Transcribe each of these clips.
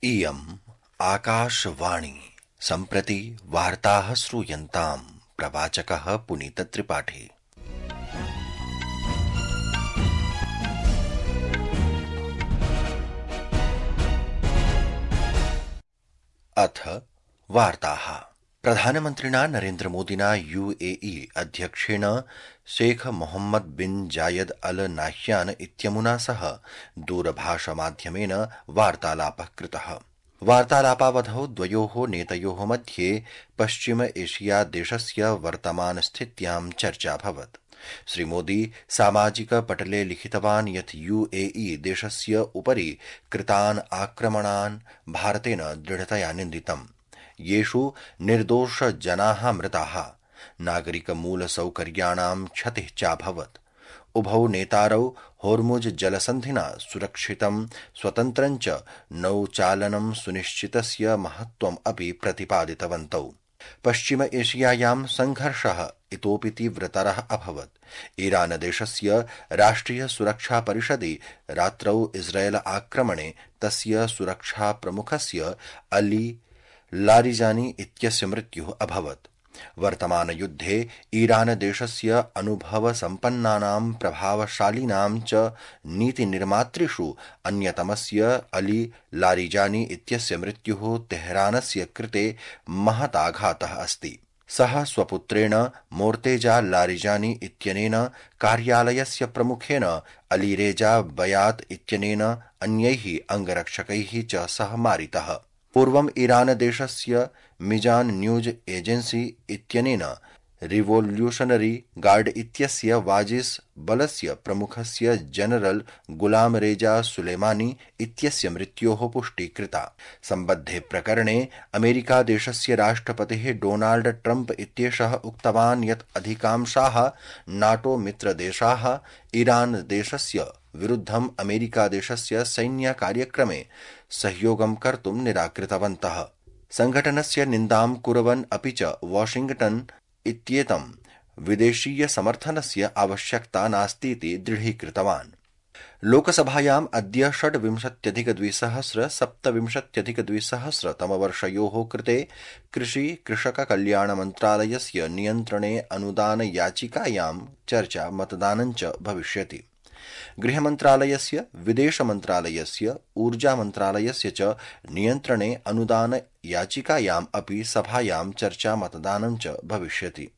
इयम् आकाशवाणी सम्प्रति वार्ताः श्रूयन्ताम्। प्रवाचकः पुनीतत्रिपाठी। अथ वार्ताः। प्रधानमन्त्रिणा नरेन्द्रमोदिना यूएई अध्यक्षेण शेख मोहम्मद बिन जायद अल नाह्यान इत्यमुना सह दूरभाषमाध्यमेन वार्तालापः कृतः। वार्तालापावधौ द्वयोः नेतयोः मध्ये पश्चिम एशिया देशस्य वर्तमानस्थित्यां चर्चा अभवत्। श्रीमोदी सामाजिक पटले लिखितवान् यत् यूएई देशस्य उपरि कृतान् आक्रमणान् भारतेन दृढतया निन्दितम्, येषु निर्दोष जनाः मृताः, नागरिकमूलसौकर्याणां क्षतिः चाभवत्। उभौ नेतारौ होर्मुज जलसन्धिना सुरक्षितं स्वतन्त्रं च नौचालनं सुनिश्चितस्य महत्त्वम् अपि प्रतिपादितवन्तौ। पश्चिम एशियायां संघर्षः इतोपि तीव्रतरः अभवत्। ईरान देशस्य राष्ट्रिय सुरक्षा परिषदि रात्रौ इस्राएल आक्रमणे तस्य सुरक्षा प्रमुखस्य अली लारिजानी इत्यस्य मृत्युः अभवत्। वर्तमान युद्धे ईरान देशस्य अनुभवसम्पन्नानां प्रभावशालिनां च नीतिनिर्मातृषु अन्यतमस्य अली लारिजानी इत्यस्य मृत्युः तेहरानस्य कृते महदाघातः अस्ति। सः स्वपुत्रेण मोर्तेजा लारिजानी इत्यनेन, कार्यालयस्य प्रमुखेन अलीरेजा बयात इत्यनेन, अन्यैः अङ्गरक्षकैः च सह मारितः। पूर्वम् ईरान देशस्य मिजान न्यूज एजेंसी इत्यनेन रिवोल्यूशनरी गार्ड इत्यस्य वाजिस बलस्य प्रमुखस्य जनरल गुलाम रेजा सुलेमानी इत्यस्य मृत्योः पुष्टि कृता। सम्बद्धे प्रकरणे अमेरिका देशस्य राष्ट्रपतिः डोनाल्ड ट्रम्प इत्येषः उक्तवान् यत् अधिकांशाः नाटो मित्रदेशाः ईरान देशस्य विरुद्धम् अमेरिका देशस्य सैन्यकार्यक्रमे सहयोगं कर्तुं निराकृतवन्तः। संघटनस्य निन्दां कुर्वन् अपि च वाशिंग्टन इत्येतं विदेशीय समर्थनस्य आवश्यकता नास्तीति दृढीकृतवान्। लोकसभायाम् अद्य 26,227 तमवर्षयोः कृते कृषि कृषक कल्याण मन्त्रालयस्य नियन्त्रणे अनुदान याचिकायां चर्चा मतदानं च भविष्यति। गृहमन्त्रालयस्य, विदेशमन्त्रालयस्य, ऊर्जामन्त्रालयस्य च नियन्त्रणे अनुदान याचिकायाम् अपि सभायां चर्चा मतदानं च भविष्यति।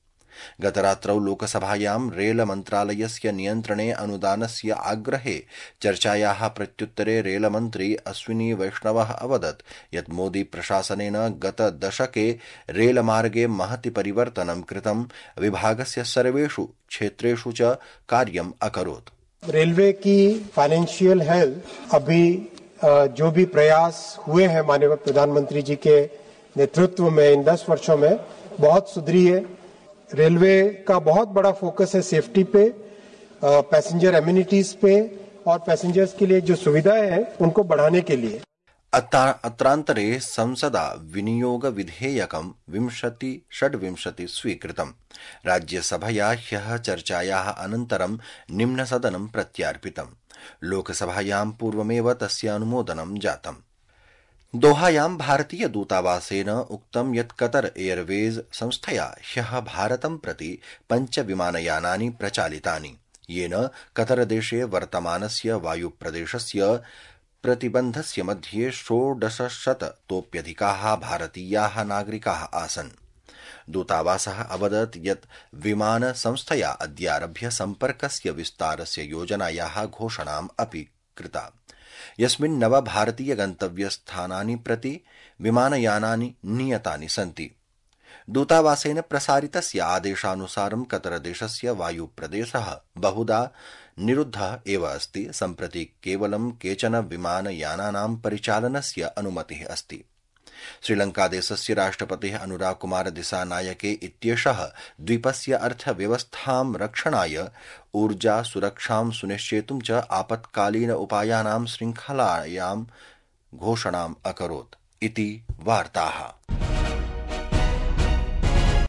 गतरात्रौ लोकसभायां रेल मन्त्रालयस्य नियन्त्रणे अनुदानस्य आग्रहे चर्चायाः प्रत्युत्तरे रेलमन्त्री अश्विनी वैष्णवः अवदत् यत् मोदी प्रशासनेन गतदशके रेलमार्गे महति परिवर्तनं कृतं, विभागस्य सर्वेषु क्षेत्रेषु च कार्यम् अकरोत्। रेलवे की फाइनेंशियल हेल्थ अभी जो भी प्रयास हुए हैं माननीय प्रधानमंत्री जी के नेतृत्व में इन 10 वर्षों में बहुत सुधरी है। रेलवे का बहुत बड़ा फोकस है सेफ्टी पे, पैसेंजर एमिनिटीज पे और पैसेंजर्स के लिए जो सुविधाएं हैं उनको बढ़ाने के लिए। अत्रान्तरे संसदा विनियोग विधेयकं 26 स्वीकृतम्। राज्यसभया ह्यः चर्चायाः अनन्तरं निम्नसदनं प्रत्यार्पितम्। लोकसभायां पूर्वमेव तस्य अनुमोदनं जातम्। दोहायां भारतीय दूतावासेन उक्तं यत् कतर एयरवेज संस्थया ह्यः भारतं प्रति 5 विमानयानानि प्रचालितानि, येन कतरदेशे वर्तमानस्य वायुप्रदेशस्य प्रतिबन्धस्य मध्ये 1600तोप्यधिकाः भारतीयाः नागरिकाः आसन्। दूतावासः अवदत् यत् विमान संस्थया अद्यारभ्य सम्पर्कस्य विस्तारस्य योजनायाः घोषणाम् अपि कृता, यस्मिन् 9 भारतीय गन्तव्यस्थानानि प्रति विमानयानानि नियतानि सन्ति। दूतावासेन प्रसारितस्य आदेशानुसारं कतरदेशस्य वायुप्रदेशः बहुधा निरुद्धः एव अस्ति। सम्प्रति केवलं केचन विमानयानानां परिचालनस्य अनुमतिः अस्ति। श्रीलङ्कादेशस्य राष्ट्रपतिः अनुराग कुमार दिसानायके इत्येषः द्वीपस्य अर्थव्यवस्थां रक्षणाय ऊर्जा सुरक्षां सुनिश्चेतुं च आपत्कालीन उपायानां शृङ्खलायां घोषणाम् अकरोत् इति वार्ताः।